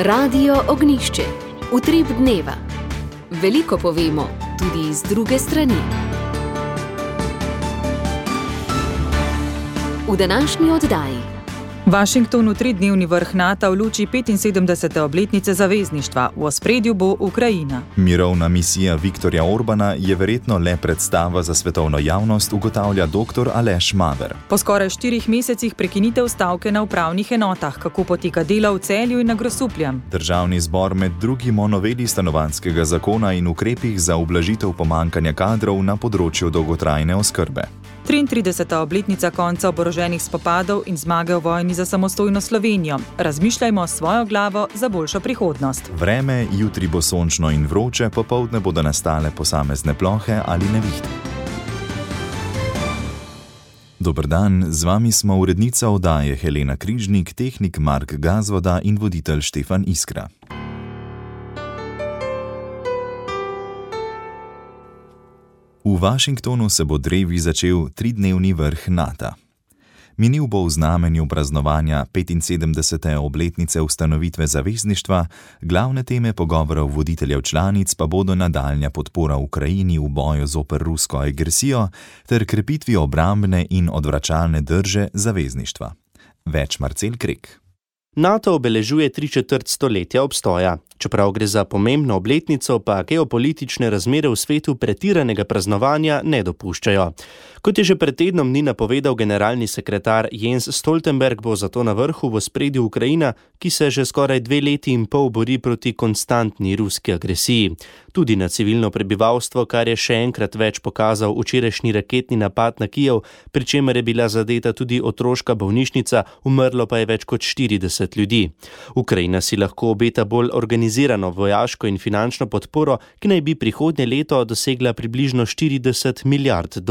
Radio Ognjišče. Utrip dneva. Veliko povemo, tudi iz druge strani. V današnji oddaji. Washington v 3-dnevni vrh NATO v luči 75. obletnice zavezništva. V ospredju bo Ukrajina. Mirovna misija Viktorja Orbana je verjetno le predstava za svetovno javnost, ugotavlja dr. Aleš Maver. Po skoraj 4 mesecih prekinitev stavke na upravnih enotah, kako poteka delo v Celju in na Grosupljem. Državni zbor med drugim o noveli stanovanjskega zakona in ukrepih za ublažitev pomanjkanja kadrov na področju dolgotrajne oskrbe. 33. obletnica konca oboroženih spopadov in zmage v vojni za samostojno Slovenijo. Razmišljajmo s svojo glavo za boljšo prihodnost. Vreme, jutri bo sončno in vroče, popoldne bodo nastale posamezne plohe ali nevihte. Dober dan, z vami smo urednica oddaje Helena Križnik, tehnik Mark Gazvoda in voditelj Štefan Iskra. V Washingtonu se bo drevi začel 3-dnevni vrh NATO. Minil bo v znamenju praznovanja 75. obletnice ustanovitve zavezništva, glavne teme pogovorov voditeljev članic pa bodo nadaljnja podpora Ukrajini v boju zoper rusko agresijo ter krepitvi obrambne in odvračalne drže zavezništva. Več Marcel Krek. NATO obeležuje 3/4 stoletja obstoja. Čeprav gre za pomembno obletnico, pa geopolitične razmere v svetu pretiranega praznovanja ne dopuščajo. Kot je že pred tednom dni napovedal generalni sekretar Jens Stoltenberg, bo zato na vrhu v ospredju Ukrajina, ki se že skoraj 2 leti in pol bori proti konstantni ruski agresiji. Tudi na civilno prebivalstvo, kar je še enkrat več pokazal včerajšnji raketni napad na Kijev, pri čemer je bila zadeta tudi otroška bolnišnica, umrlo pa je več kot 40 ljudi. Ukrajina si lahko obeta bolj organizirano vojaško in finančno podporo, ki naj bi prihodnje leto dosegla približno $40 milijard.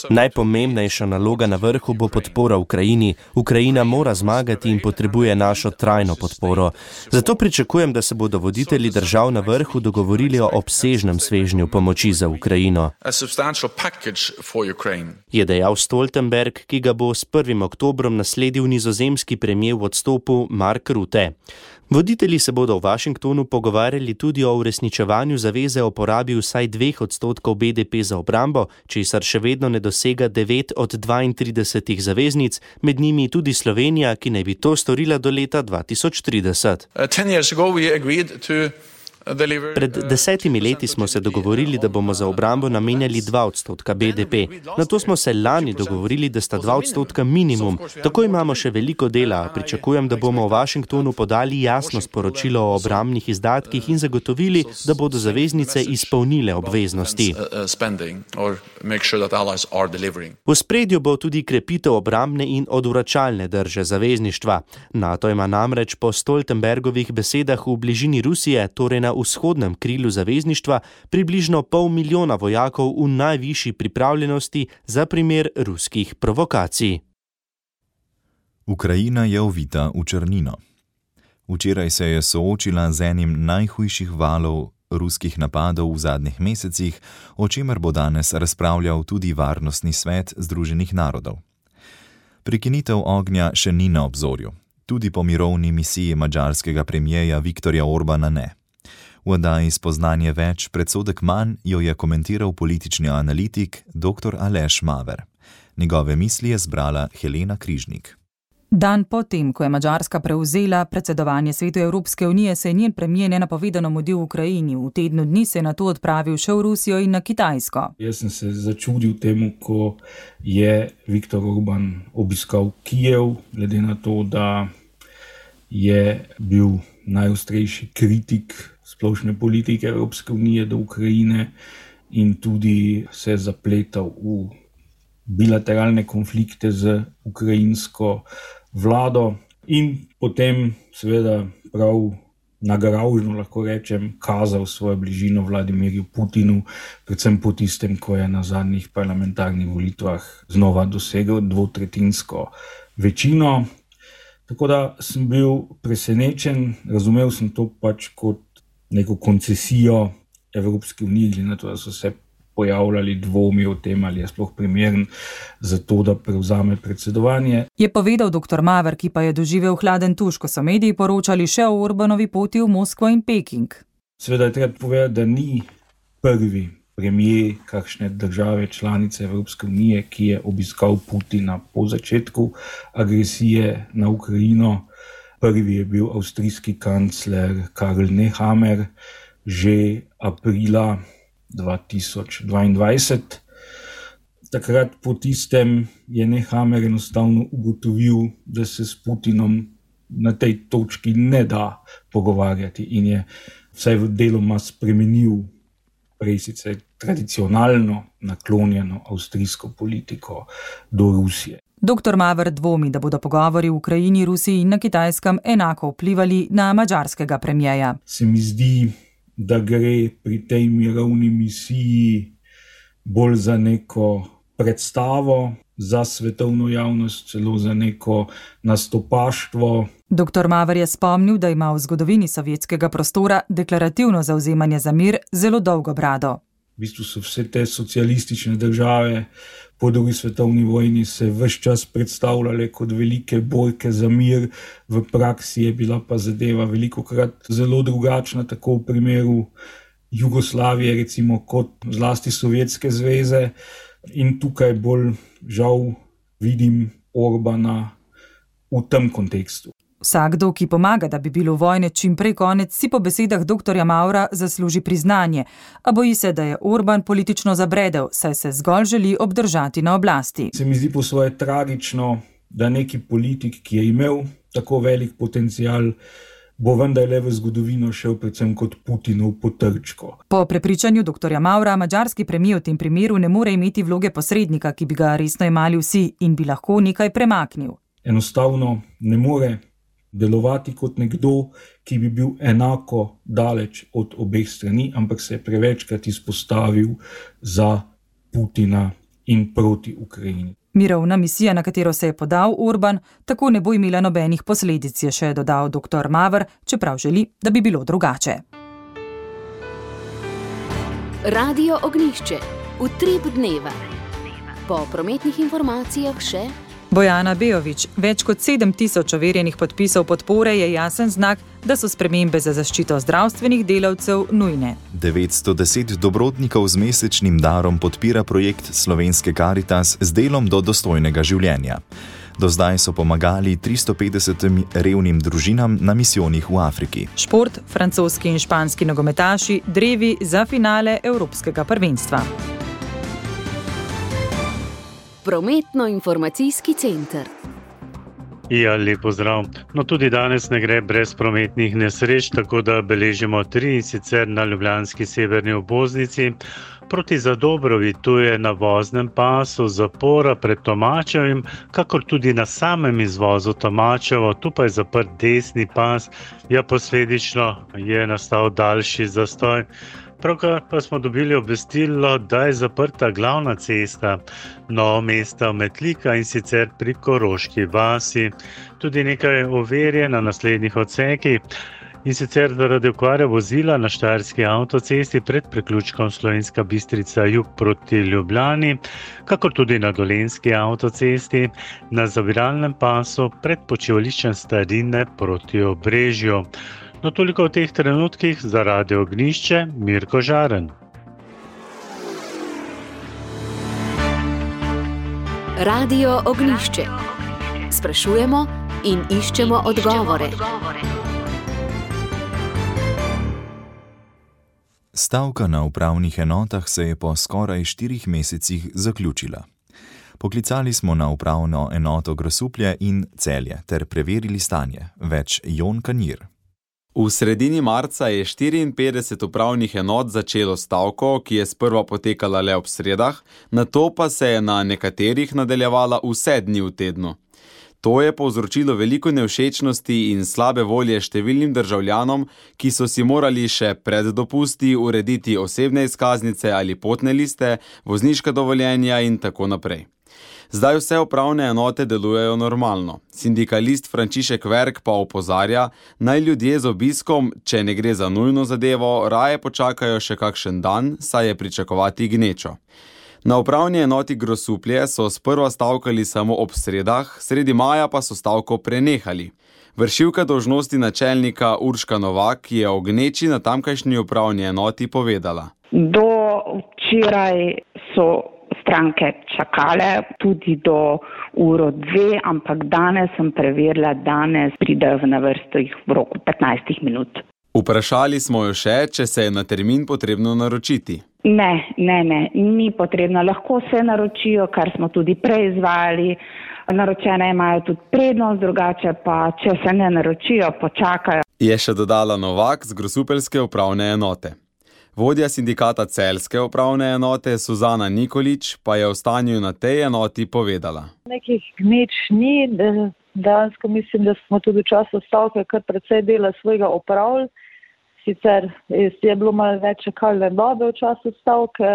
Najpomembnejša naloga na vrhu bo podpora Ukrajini. Ukrajina mora zmagati in potrebuje našo trajno podporo. Zato pričakujem, da se bodo voditelji držav na vrhu dogovorili o obsežnem svežnju pomoči za Ukrajino. Je dejal Stoltenberg, ki ga bo s 1. oktobrom nasledil nizozemski premier v odstopu Mark Rutte. Voditelji se bodo v Washingtonu pogovarjali tudi o uresničevanju zaveze o porabi vsaj 2% BDP za obrambo, česar še vedno ne dosega 9 od 32 zaveznic, med njimi tudi Slovenija, ki naj bi to storila do leta 2030. Pred 10 leti smo se dogovorili, da bomo za obrambo namenjali 2% BDP. Na to smo se lani dogovorili, da sta 2% minimum. Tako imamo še veliko dela. Pričakujem, da bomo v Washingtonu podali jasno sporočilo o obrambnih izdatkih in zagotovili, da bodo zaveznice izpolnile obveznosti. V spredju bo tudi krepitev obrambne in odvračalne drže zavezništva. NATO ima namreč po Stoltenbergovih besedah v bližini Rusije, torej na vzhodnem krilu zavezništva, približno 500,000 vojakov v najvišji pripravljenosti za primer ruskih provokacij. Ukrajina je ovita v črnino. Včeraj se je soočila z enim najhujših valov ruskih napadov v zadnjih mesecih, o čemer bo danes razpravljal tudi Varnostni svet Združenih narodov. Prekinitev ognja še ni na obzorju. Tudi po mirovni misiji madžarskega premierja Viktorja Orbana ne. V oddaji Spoznanje več, predsodek manj jo je komentiral politični analitik dr. Aleš Maver. Njegove misli je zbrala Helena Križnik. Dan potem, ko je Madžarska prevzela predsedovanje Svetu Evropske unije, se je njen premier nenapovedano mudil v Ukrajini. V tednu dni se je nato odpravil še v Rusijo in na Kitajsko. Jaz sem se začudil temu, ko je Viktor Orban obiskal Kijev, glede na to, da je bil najostrejši kritik splošne politike Evropske unije do Ukrajine in tudi se je zapletal v bilateralne konflikte z ukrajinsko vlado in potem seveda prav nagravžno, lahko rečem, kazal svojo bližino Vladimirju Putinu, predvsem po tistem, ko je na zadnjih parlamentarnih volitvah znova dosegel 2/3 večino. Tako da sem bil presenečen, razumel sem to pač kot neko koncesijo Evropske unije, glede na to, da so se pojavljali dvomi o tem, ali je sploh primeren za to, da prevzame predsedovanje. Je povedal dr. Maver, ki pa je doživel hladen tuš, ko so mediji poročali še o Orbanovi poti v Moskvo in Peking. Seveda je treba povedati, da ni prvi premijer kakšne države članice Evropske unije, ki je obiskal Putina po začetku agresije na Ukrajino. Prvi je bil avstrijski kancler Karl Nehammer že aprila 2022. Takrat po tistem je Nehammer enostavno ugotovil, da se s Putinom na tej točki ne da pogovarjati in je vsaj v deloma spremenil prej sicer tradicionalno naklonjeno avstrijsko politiko do Rusije. Dr. Maver dvomi, da bodo pogovori v Ukrajini, Rusiji in na Kitajskem enako vplivali na madžarskega premijeja. Se mi zdi, da gre pri tej mirovni misiji bolj za neko predstavo, za svetovno javnost, celo za neko nastopaštvo. Dr. Maver je spomnil, da ima v zgodovini sovjetskega prostora deklarativno zavzemanje za mir zelo dolgo brado. V bistvu so vse te socialistične države po drugi svetovni vojni se ves čas predstavljale kot velike borke za mir, v praksi je bila pa zadeva velikokrat zelo drugačna, tako v primeru Jugoslavije recimo kot zlasti Sovjetske zveze. In tukaj bolj žal vidim Orbana v tem kontekstu. Vsakdo, ki pomaga, da bi bilo vojne čim prej konec, si po besedah dr. Mavra zasluži priznanje, a boji se, da je Orban politično zabredel, saj se zgolj želi obdržati na oblasti. Se mi zdi po svoje tragično, da neki politik, ki je imel tako velik potencial, bo vendarle v zgodovino šel predvsem kot Putinov potrčko. Po prepričanju dr. Mavra, madžarski premijer v tem primeru ne more imeti vloge posrednika, ki bi ga resno imali vsi in bi lahko nekaj premaknil. Enostavno ne more delovati kot nekdo, ki bi bil enako daleč od obeh strani, ampak se je prevečkrat izpostavil za Putina in proti Ukrajini. Mirovna misija, na katero se je podal Orban, tako ne bo imela nobenih posledic, je še dodal dr. Maver, čeprav želi, da bi bilo drugače. Radio Ognjišče. Utrip dneva. Po prometnih informacijah še Bojana Bejović, več kot 7000 overjenih podpisov podpore je jasen znak, da so spremembe za zaščito zdravstvenih delavcev nujne. 910 dobrotnikov z mesečnim darom podpira projekt Slovenske Karitas z delom do dostojnega življenja. Do zdaj so pomagali 350 revnim družinam na misijonih v Afriki. Šport, francoski in španski nogometaši, drevi za finale Evropskega prvenstva. Prometno-informacijski center. Ja, lep pozdrav. No, tudi danes ne gre brez prometnih nesreč, tako da beležimo 3, in sicer na ljubljanski severni obvoznici. Proti Zadobrovi, tu je na voznem pasu zapora pred Tomačevim, kakor tudi na samem izvozu Tomačevo, tu pa je zaprt desni pas, ja, posledično je nastal daljši zastoj. Pravkar pa smo dobili obvestilo, da je zaprta glavna cesta Novo Mesto-Metlika, in sicer pri Koroški vasi. Tudi nekaj ovir je na naslednjih odsekih, in sicer zaradi okvare vozila na štajerski avtocesti pred priključkom Slovenska Bistrica jug proti Ljubljani, kakor tudi na dolenjski avtocesti na zaviralnem pasu pred počivališčem Starine proti Obrežju. No, toliko v teh trenutkih za Radio Ognjišče, Mirko Žaren. Radio Ognjišče. Sprašujemo in iščemo odgovore. Stavka na upravnih enotah se je po skoraj 4 mesecih zaključila. Poklicali smo na upravno enoto Grosuplje in Celje ter preverili stanje. Več Jon Kanjir. V sredini marca je 54 upravnih enot začelo stavko, ki je sprva potekala le ob sredah, nato pa se je na nekaterih nadaljevala vse dni v tednu. To je povzročilo veliko nevšečnosti in slabe volje številnim državljanom, ki so si morali še pred dopusti urediti osebne izkaznice ali potne liste, vozniška dovoljenja in tako naprej. Zdaj vse upravne enote delujejo normalno. Sindikalist Frančišek Verk pa opozarja, naj ljudje z obiskom, če ne gre za nujno zadevo, raje počakajo še kakšen dan, saj je pričakovati gnečo. Na upravni enoti Grosuplje so sprva stavkali samo ob sredah, sredi maja pa so stavko prenehali. Vršilka dolžnosti načelnika Urška Novak je o gneči na tamkajšnji upravni enoti povedala. Do včeraj so stranke čakale tudi do 1:02, ampak danes sem preverila, danes pridejo na vrsto jih v roku 15 minut. Vprašali smo jo še, če se je na termin potrebno naročiti. Ne, ni potrebno. Lahko se naročijo, kar smo tudi prej izvajali. Naročene imajo tudi prednost, drugače pa, če se ne naročijo, počakajo. Je še dodala Novak z grosupeljske upravne enote. Vodja sindikata Celjske upravne enote Suzana Nikolič pa je o stanju na tej enoti povedala. Nekih gneč ni, dejansko mislim, da smo tudi v času stavke kar precej dela svojega opravili. Sicer je bilo malo več čakalne dobe v času stavke,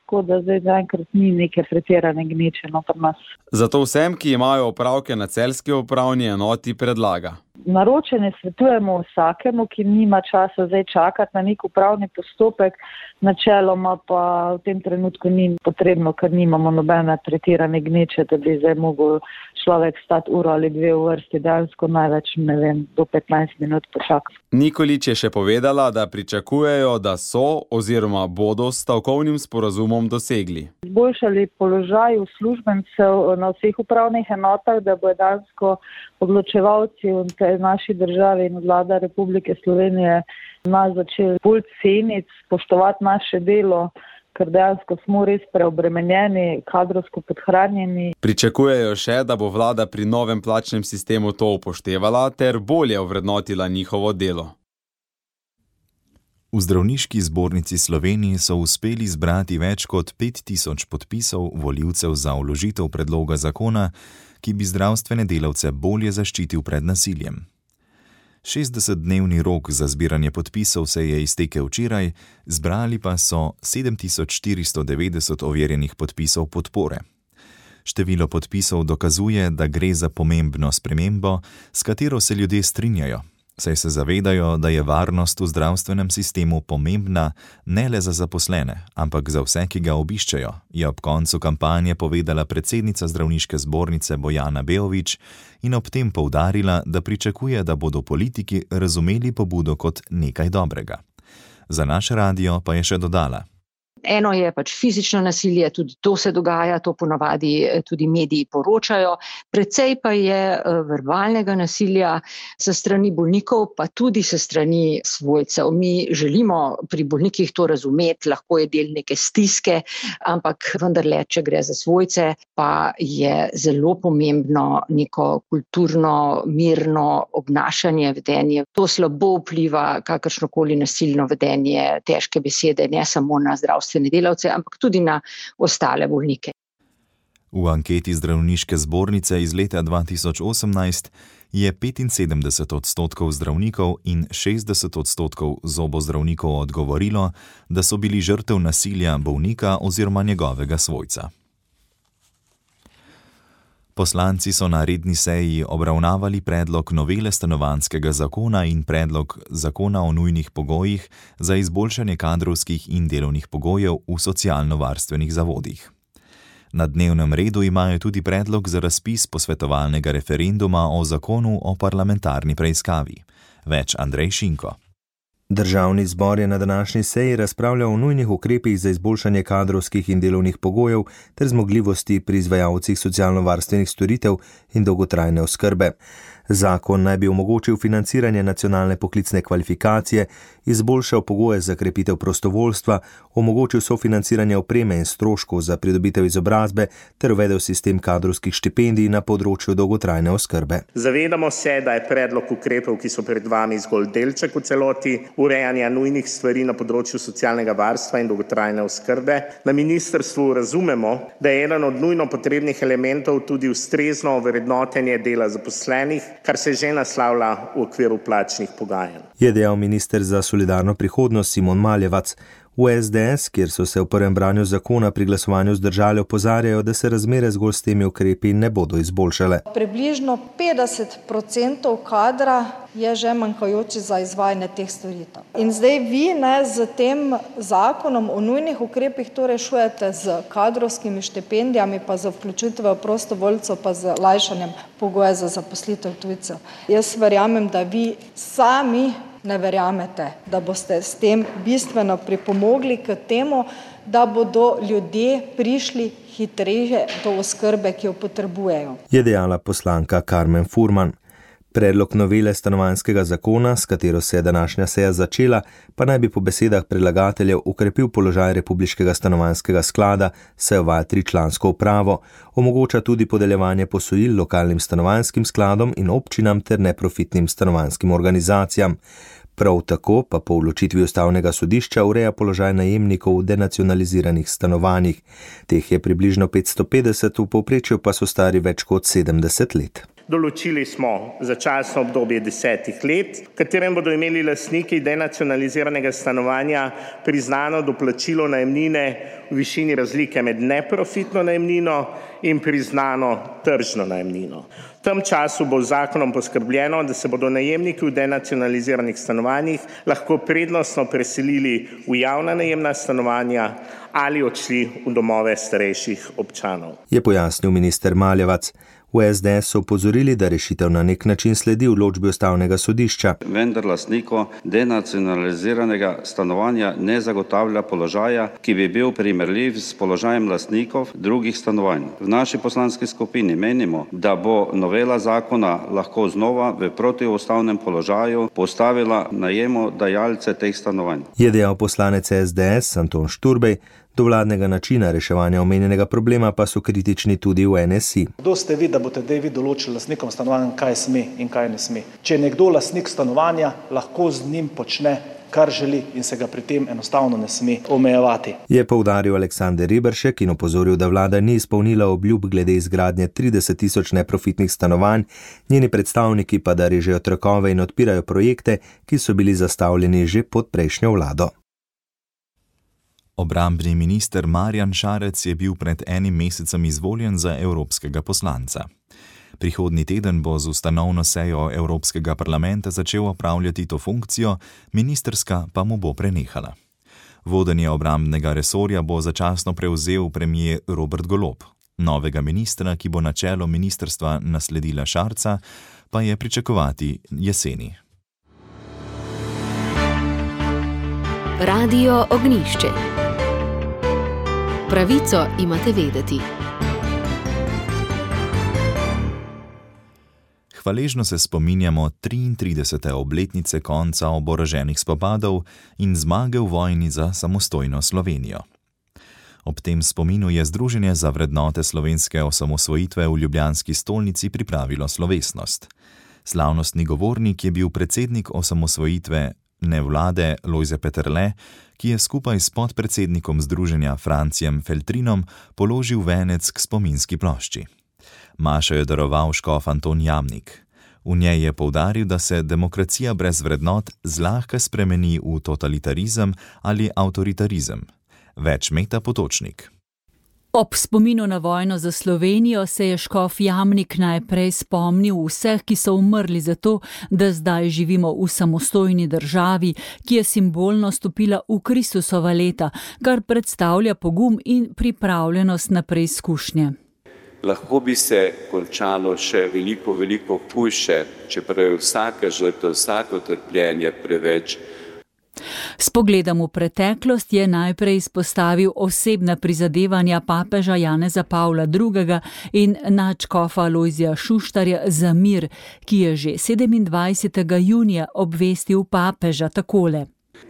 tako da zdaj zaenkrat ni neke pretirane gneče pri nas. Zato vsem, ki imajo opravke na Celjski upravni enoti, predlaga. Naročene svetujemo vsakemu, ki nima časa zdaj čakati na nek upravni postopek, načeloma pa v tem trenutku ni potrebno, ker nimamo nobene pretirane gneče, da bi zdaj mogel človek stati uro ali dve v vrsti, dejansko največ, do 15 minut počakati. Nikolič je še povedala, da pričakujejo, da so oziroma bodo s stavkovnim sporazumom dosegli. Izboljšali položaj uslužbencev na vseh upravnih enotah, da bo dejansko odločevalci v tej naši državi in vlada Republike Slovenije nas začeli bolj ceniti, spoštovati naše delo, ker dejansko smo res preobremenjeni, kadrovsko podhranjeni. Pričakujejo še, da bo vlada pri novem plačnem sistemu to upoštevala ter bolje ovrednotila njihovo delo. V Zdravniški zbornici Slovenije so uspeli zbrati več kot 5000 podpisov volivcev za vložitev predloga zakona, ki bi zdravstvene delavce bolje zaščitil pred nasiljem. 60-dnevni rok za zbiranje podpisov se je iztekel včeraj, zbrali pa so 7490 overjenih podpisov podpore. Število podpisov dokazuje, da gre za pomembno spremembo, s katero se ljudje strinjajo, saj se zavedajo, da je varnost v zdravstvenem sistemu pomembna ne le za zaposlene, ampak za vse, ki ga obiščejo, je ob koncu kampanje povedala predsednica Zdravniške zbornice Bojana Beović in ob tem poudarila, da pričakuje, da bodo politiki razumeli pobudo kot nekaj dobrega. Za naš radio pa je še dodala. Eno je fizično nasilje, tudi to se dogaja, to ponavadi tudi mediji poročajo. Precej pa je verbalnega nasilja sa strani bolnikov, pa tudi sa strani svojcev. Mi želimo pri bolnikih to razumeti, lahko je del neke stiske, ampak vendarle, če gre za svojce, pa je zelo pomembno neko kulturno, mirno obnašanje, vedenje. To slabo vpliva kakršnokoli nasilno vedenje, težke besede, ne samo na zdravstvene delavce, ampak tudi na ostale bolnike. V anketi Zdravniške zbornice iz leta 2018 je 75% zdravnikov in 60% zobozdravnikov odgovorilo, da so bili žrtev nasilja bolnika oziroma njegovega svojca. Poslanci so na redni seji obravnavali predlog novele stanovanjskega zakona in predlog zakona o nujnih pogojih za izboljšanje kadrovskih in delovnih pogojev v socialno-varstvenih zavodih. Na dnevnem redu imajo tudi predlog za razpis posvetovalnega referenduma o zakonu o parlamentarni preiskavi. Več Andrej Šinko. Državni zbor je na današnji seji razpravljal o nujnih ukrepih za izboljšanje kadrovskih in delovnih pogojev ter zmogljivosti pri izvajalcih socialno-varstvenih storitev in dolgotrajne oskrbe. Zakon naj bi omogočil financiranje nacionalne poklicne kvalifikacije, izboljšal pogoje za krepitev prostovoljstva, omogočil sofinanciranje opreme in stroškov za pridobitev izobrazbe ter uvedel sistem kadrovskih štipendij na področju dolgotrajne oskrbe. Zavedamo se, da je predlog ukrepov, ki so pred vami, zgolj delček v celoti urejanja nujnih stvari na področju socialnega varstva in dolgotrajne oskrbe. Na ministrstvu razumemo, da je eden od nujno potrebnih elementov tudi ustrezno ovrednotenje dela zaposlenih, kar se že naslavlja v okviru plačnih pogajanj. Je dejal minister za solidarno prihodnost Simon Maljevac. V SDS, kjer so se v prvem branju zakona pri glasovanju zdržali, opozarjajo, da se razmere zgolj s temi ukrepi ne bodo izboljšale. Približno 50% kadra je že manjkajoči za izvajanje teh storitev. In zdaj vi z tem zakonom o nujnih ukrepih to rešujete z kadrovskimi štipendijami, pa z vključitvijo prostovoljcev, pa z lajšanjem pogoja za zaposlitev tujcev. Jaz verjamem, da vi sami ne verjamete, da boste s tem bistveno pripomogli k temu, da bodo ljudje prišli hitreje do oskrbe, ki jo potrebujejo. Je dejala poslanka Karmen Furman. Predlog novele stanovanjskega zakona, s katero se je današnja seja začela, pa naj bi po besedah predlagateljev ukrepil položaj Republiškega stanovanjskega sklada, saj uvaja 3-člansko upravo, omogoča tudi podeljevanje posojil lokalnim stanovanjskim skladom in občinam ter neprofitnim stanovanjskim organizacijam. Prav tako pa po odločitvi Ustavnega sodišča ureja položaj najemnikov v denacionaliziranih stanovanjih. Teh je približno 550, v povprečju pa so stari več kot 70 let. Določili smo začasno obdobje 10 let, v katerem bodo imeli lastniki denacionaliziranega stanovanja priznano doplačilo najemnine v višini razlike med neprofitno najemnino in priznano tržno najemnino. V tem času bo z zakonom poskrbljeno, da se bodo najemniki v denacionaliziranih stanovanjih lahko prednostno preselili v javna najemna stanovanja ali odšli v domove starejših občanov. Je pojasnil minister Maljevac. V SDS so opozorili, da rešitev na nek način sledi odločbi Ustavnega sodišča. Vendar lastniku denacionaliziranega stanovanja ne zagotavlja položaja, ki bi bil primerljiv s položajem lastnikov drugih stanovanj. V naši poslanski skupini menimo, da bo novela zakona lahko znova v protiustavnem položaju postavila najemodajalce teh stanovanj. Je dejal poslanec SDS Anton Šturbej. Do vladnega načina reševanja omenjenega problema pa so kritični tudi v NSI. Kdo ste vi, da boste vi določili lastnikom stanovanja, kaj sme in kaj ne sme? Če je nekdo lastnik stanovanja, lahko z njim počne, kar želi in se ga pri tem enostavno ne sme omejevati. Je poudaril Aleksander Riberšek in opozoril, da vlada ni izpolnila obljub glede izgradnje 30 000 neprofitnih stanovanj, njeni predstavniki pa da režejo trakove in odpirajo projekte, ki so bili zastavljeni že pod prejšnjo vlado. Obrambni minister Marjan Šarec je bil pred enim mesecem izvoljen za evropskega poslanca. Prihodnji teden bo z ustanovno sejo Evropskega parlamenta začel opravljati to funkcijo, ministrska pa mu bo prenehala. Vodenje obrambnega resorja bo začasno prevzel premier Robert Golob. Novega ministra, ki bo na čelo ministrstva nasledila Šarca, pa je pričakovati jeseni. Radio Ognjišče. Pravico imate vedeti. Hvaležno se spominjamo 33. obletnice konca oboroženih spopadov in zmage v vojni za samostojno Slovenijo. Ob tem spominu je Združenje za vrednote slovenske osamosvojitve v ljubljanski stolnici pripravilo slovesnost. Slavnostni govornik je bil predsednik osamosvojitve vlade Lojze Peterle, ki je skupaj s podpredsednikom združenja Francijem Feltrinom položil venec k spominski plošči. Mašo je daroval škof Anton Jamnik. V njej je poudaril, da se demokracija brez vrednot zlahka spremeni v totalitarizem ali avtoritarizem. Več Meta Potočnik. Ob spominu na vojno za Slovenijo se je škof Jamnik najprej spomnil vseh, ki so umrli za to, da zdaj živimo v samostojni državi, ki je simbolno stopila v Kristusova leta, kar predstavlja pogum in pripravljenost na preizkušnje. Lahko bi se končalo še veliko hujše, čeprav je vsaka žrtev, vsako trpljenje preveč. S pogledom v preteklost je najprej izpostavil osebna prizadevanja papeža Janeza Pavla II. In nadškofa Lojzija Šuštarja za mir, ki je že 27. junija obvestil papeža takole.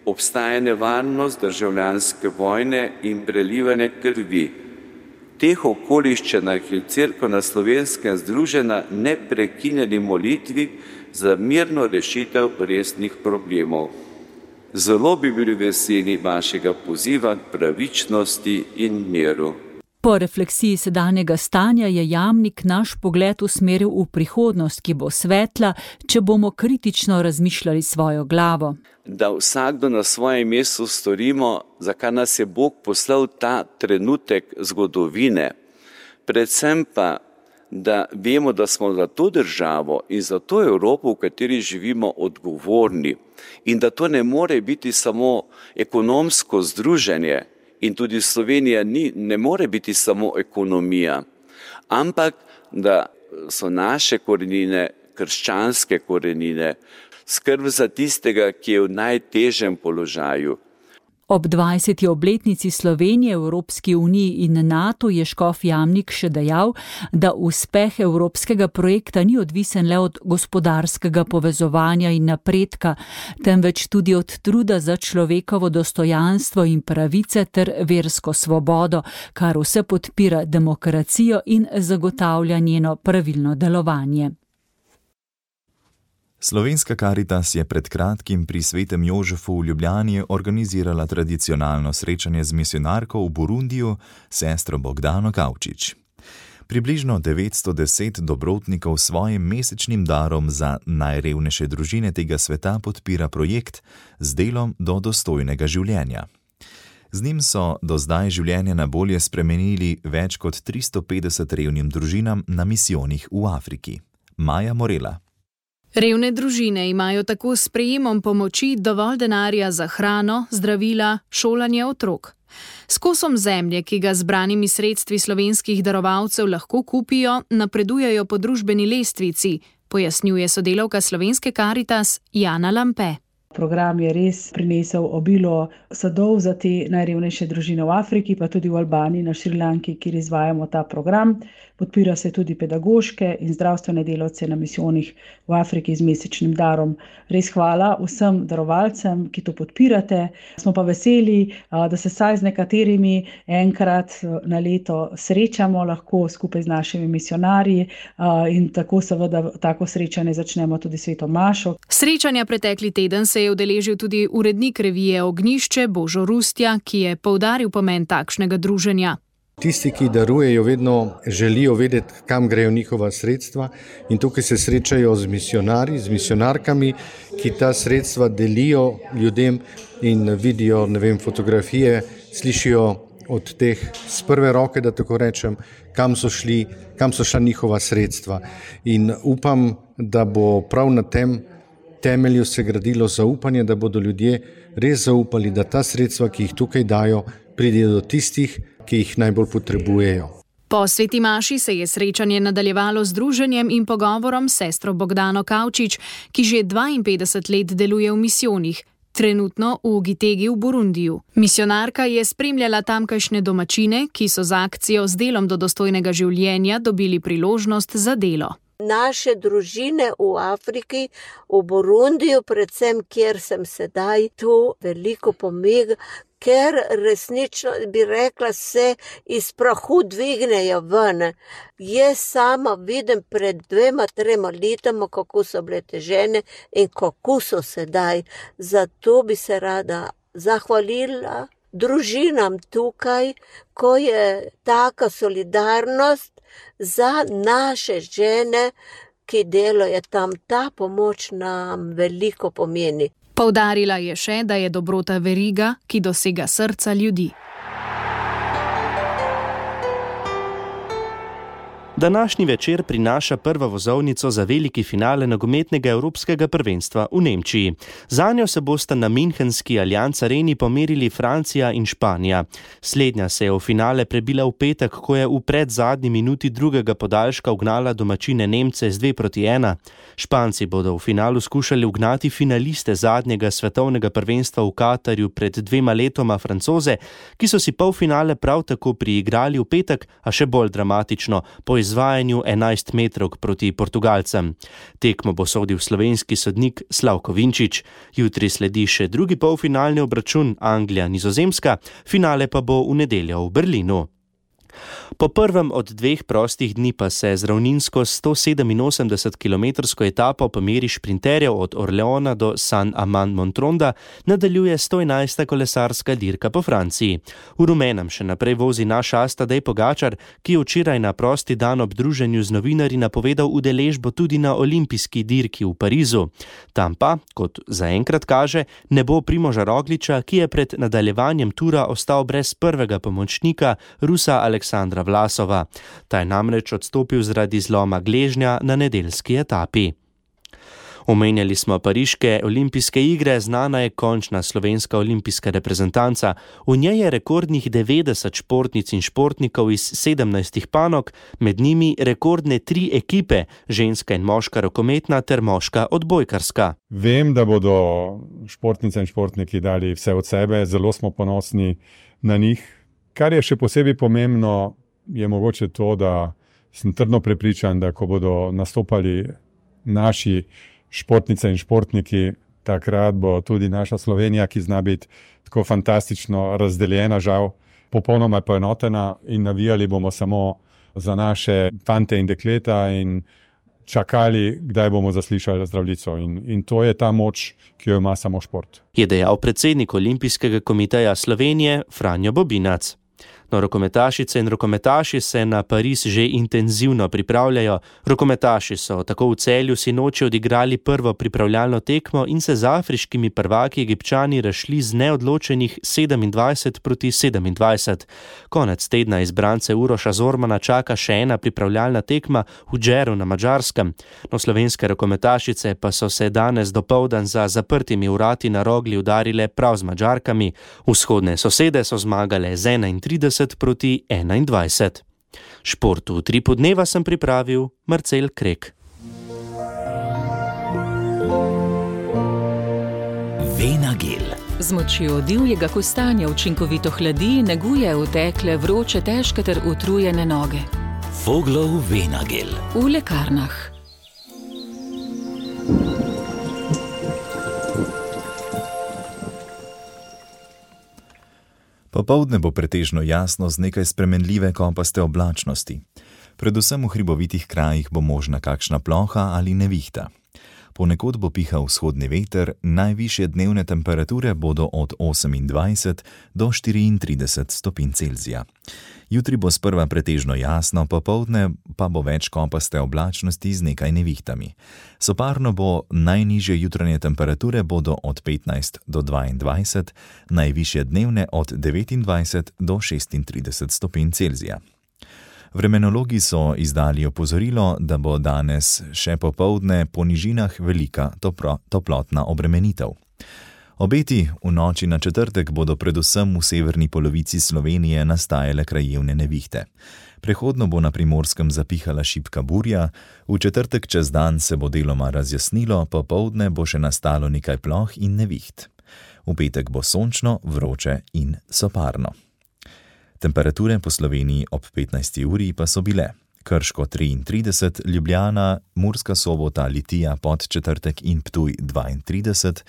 Obstaja nevarnost državljanske vojne in prelivanje krvi. V teh okoliščinah je Cerkev Slovenska združena neprekinjeni molitvi za mirno rešitev resnih problemov. Zelo bi bili veseli vašega poziva k pravičnosti in miru. Po refleksiji sedanjega stanja je Jamnik naš pogled usmeril v prihodnost, ki bo svetla, če bomo kritično razmišljali svojo glavo. Da vsakdo na svojem mestu storimo, za kar nas je Bog poslal ta trenutek zgodovine. Predvsem pa, da vemo, da smo za to državo in za to Evropo, v kateri živimo, odgovorni. In da to ne more biti samo ekonomsko združenje, in tudi Slovenija ne more biti samo ekonomija, ampak da so naše korenine, krščanske korenine, skrb za tistega, ki je v najtežjem položaju. Ob 20. obletnici Slovenije v Evropski uniji in NATO je škof Jamnik še dejal, da uspeh evropskega projekta ni odvisen le od gospodarskega povezovanja in napredka, temveč tudi od truda za človekovo dostojanstvo in pravice ter versko svobodo, kar vse podpira demokracijo in zagotavlja njeno pravilno delovanje. Slovenska Karitas je pred kratkim pri Svetem Jožefu v Ljubljani organizirala tradicionalno srečanje z misijonarko v Burundiju, sestro Bogdano Kavčič. Približno 910 dobrotnikov s svojim mesečnim darom za najrevnejše družine tega sveta podpira projekt z delom do dostojnega življenja. Z njim so do zdaj življenje na bolje spremenili več kot 350 revnim družinam na misijonih v Afriki. Maja Morela. Revne družine imajo tako s prejemom pomoči dovolj denarja za hrano, zdravila, šolanje otrok. S kosom zemlje, ki ga zbranimi sredstvi slovenskih darovalcev lahko kupijo, napredujejo po družbeni lestvici, pojasnjuje sodelavka Slovenske Karitas Jana Lampe. Program je res prinesel obilo sadov za te najrevnejše družine v Afriki, pa tudi v Albaniji, na Šrilanki, kjer izvajamo ta program. Podpira se tudi pedagoške in zdravstvene delavce na misijonih v Afriki z mesečnim darom. Res hvala vsem darovalcem, ki to podpirate. Smo pa veseli, da se saj z nekaterimi enkrat na leto srečamo, lahko skupaj z našimi misijonarji in tako seveda tako srečanje začnemo tudi sveto mašo. Srečanja pretekli teden se je udeležil tudi urednik revije Ognjišče Božo Rustja, ki je poudaril pomen takšnega druženja. Tisti, ki darujejo, vedno želijo vedeti, kam grejo njihova sredstva in tukaj se srečajo z misijonarji, z misijonarkami, ki ta sredstva delijo ljudem in vidijo, fotografije, slišijo od teh z prve roke, da tako rečem, kam so šla njihova sredstva. In upam, da bo prav na tem temelju se gradilo zaupanje, da bodo ljudje res zaupali, da ta sredstva, ki jih tukaj dajo, pridejo do tistih, ki jih najbolj potrebujejo. Po sveti maši se je srečanje nadaljevalo z druženjem in pogovorom s sestro Bogdano Kavčič, ki že 52 let deluje v misijonih, trenutno v Gitegi v Burundiju. Misijonarka je spremljala tamkajšnje domačine, ki so z akcijo z delom do dostojnega življenja dobili priložnost za delo. Naše družine v Afriki, v Burundiju, predvsem kjer sem sedaj, tu veliko pomega, ker resnično bi rekla se iz prahu dvignejo ven. Jaz sama vidim pred 2-3 letoma, kako so bile te žene in kako so sedaj. Zato bi se rada zahvalila družinam tukaj, ko je taka solidarnost za naše žene, ki delajo tam. Ta pomoč nam veliko pomeni. Poudarila je še, da je dobrota veriga, ki dosega srca ljudi. Današnji večer prinaša prvo vozovnico za veliki finale nogometnega evropskega prvenstva v Nemčiji. Zanjo se bosta na Münchenski Allianz Areni pomerili Francija in Španija. Slednja se je v finale prebila v petek, ko je v predzadnji minuti drugega podaljška ugnala domačine Nemce z 2-1. Španci bodo v finalu skušali ugnati finaliste zadnjega svetovnega prvenstva v Katarju pred 2 letoma Francoze, ki so si polfinale prav tako priigrali v petek, a še bolj dramatično, po izvajanju 11 metrov proti Portugalcem. Tekmo bo sodil slovenski sodnik Slavko Vinčič. Jutri sledi še drugi polfinalni obračun Anglija-Nizozemska, finale pa bo v nedeljo v Berlinu. Po prvem od 2 prostih dni pa se z ravninsko 187-kilometrsko etapo po meri šprinterjev od Orleona do Saint-Amand-Montronda nadaljuje 111. kolesarska dirka po Franciji. V rumenem še naprej vozi naš as Tadej Pogačar, ki je včeraj na prosti dan ob druženju z novinarji napovedal udeležbo tudi na olimpijski dirki v Parizu. Tam pa, kot zaenkrat kaže, ne bo Primoža Rogliča, ki je pred nadaljevanjem tura ostal brez prvega pomočnika, Rusa Aleksandra Vlasova. Ta je namreč odstopil zaradi zloma gležnja na nedeljski etapi. Omenjali smo pariške olimpijske igre, znana je končna slovenska olimpijska reprezentanca. V njej je rekordnih 90 športnic in športnikov iz 17 panog, med njimi rekordne 3 ekipe, ženska in moška rokometna ter moška odbojkarska. Vem, da bodo športnice in športniki dali vse od sebe, zelo smo ponosni na njih. Kar je še posebej pomembno, je mogoče to, da sem trdno prepričan, da ko bodo nastopali naši športnice in športniki, takrat bo tudi naša Slovenija, ki zna biti tako fantastično razdeljena, žal, popolnoma poenotena in navijali bomo samo za naše fante in dekleta in čakali, kdaj bomo zaslišali Zdravljico. In to je ta moč, ki jo ima samo šport. Je dejal predsednik Olimpijskega komiteja Slovenije Franjo Bobinac. No, rokometašice in rokometaši se na Pariz že intenzivno pripravljajo. Rokometaši so tako v Celju sinoči odigrali prvo pripravljalno tekmo in se z afriškimi prvaki Egipčani razšli z neodločenih 27-27. Konec tedna izbrance Uroša Zormana čaka še ena pripravljalna tekma v Džeru na Madžarskem. No, slovenske rokometašice pa so se danes dopoldan za zaprtimi vrati na Rogli udarile prav z Madžarkami. Vzhodne sosede so zmagale z 31-21. Šport v Utripu dneva sem pripravil Marcel Krek. Venagel. Z močjo divjega kostanja učinkovito hladi, neguje utekle, vroče, težke ter utrujene noge. Voglov Venagel. V lekarnah. Popoldne bo pretežno jasno z nekaj spremenljive kopaste oblačnosti. Predvsem v hribovitih krajih bo možna kakšna ploha ali nevihta. Ponekod bo pihal vzhodni veter, najvišje dnevne temperature bodo od 28 do 34 stopinj Celzija. Jutri bo sprva pretežno jasno, popoldne pa bo več kopaste oblačnosti z nekaj nevihtami. Soparno bo najnižje jutranje temperature bodo od 15 do 22, najvišje dnevne od 29 do 36 stopinj Celzija. Vremenologi so izdali opozorilo, da bo danes še popoldne po nižinah velika toplotna obremenitev. Obeti v noči na četrtek bodo predvsem v severni polovici Slovenije nastajale krajevne nevihte. Prehodno bo na Primorskem zapihala šibka burja, v četrtek čez dan se bo deloma razjasnilo, popoldne bo še nastalo nekaj ploh in neviht. V petek bo sončno, vroče in soparno. Temperature po Sloveniji ob 15. uri pa so bile: Krško 33, Ljubljana, Murska Sobota, Litija, Podčetrtek in Ptuj 32,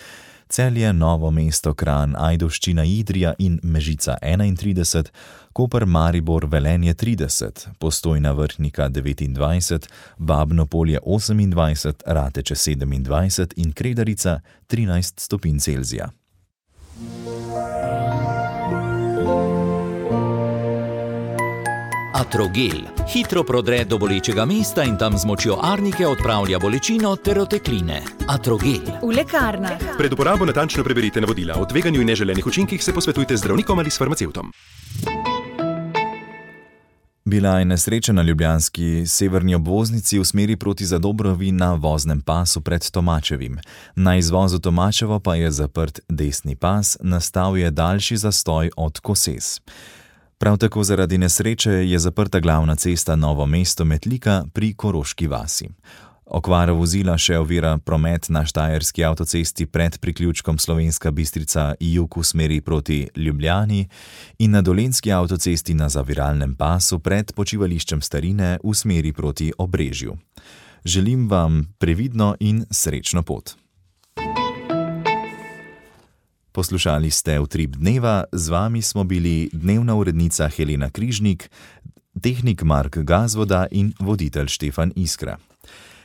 Celje, Novo mesto, Kranj, Ajdovščina, Idrija in Mežica 31, Koper, Maribor, Velenje 30, Postojna, Vrhnika 29, Babno Polje 28, Rateče 27 in Kredarica 13 stopinj Celzija. Atrogel. Hitro prodre do bolečega mesta in tam z močjo arnike odpravlja bolečino ter otekline. Atrogel. V lekarnah. Pred uporabo natančno preberite navodila. O tveganju in neželenih učinkih se posvetujte z zdravnikom ali s farmacevtom. Bila je nesreča na ljubljanski severni obvoznici v smeri proti Zadobrovi na voznem pasu pred Tomačevim. Na izvozu Tomačevo pa je zaprt desni pas, nastal je daljši zastoj od Koses. Prav tako zaradi nesreče je zaprta glavna cesta Novo mesto-Metlika pri Koroški vasi. Okvara vozila še ovira promet na Štajerski avtocesti pred priključkom Slovenska Bistrica jug v smeri proti Ljubljani in na Dolenjski avtocesti na zaviralnem pasu pred počivališčem Starine v smeri proti Obrežju. Želim vam previdno in srečno pot. Poslušali ste Utrip dneva, z vami smo bili dnevna urednica Helena Križnik, tehnik Mark Gazvoda in voditelj Štefan Iskra.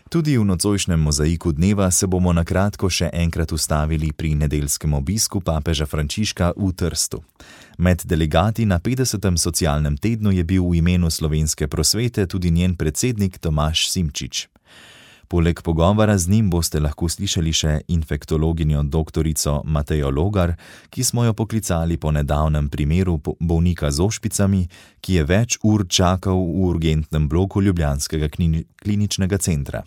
Tudi v nocojšnjem mozaiku dneva se bomo na kratko še enkrat ustavili pri nedeljskem obisku papeža Frančiška v Trstu. Med delegati na 50. socialnem tednu je bil v imenu slovenske prosvete tudi njen predsednik Tomaž Simčič. Poleg pogovora z njim boste lahko slišali še infektologinjo doktorico Matejo Logar, ki smo jo poklicali po nedavnem primeru bolnika z ošpicami, ki je več ur čakal v urgentnem bloku ljubljanskega kliničnega centra.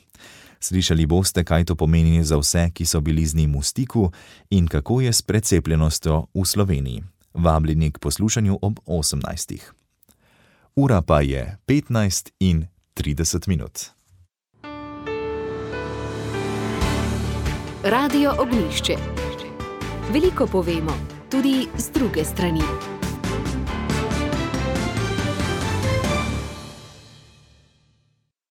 Slišali boste, kaj to pomeni za vse, ki so bili z njim v stiku in kako je s precepljenostjo v Sloveniji. Vabljeni k poslušanju ob 18. Ura pa je 15:30. Radio Ognjišče. Veliko povemo, tudi z druge strani.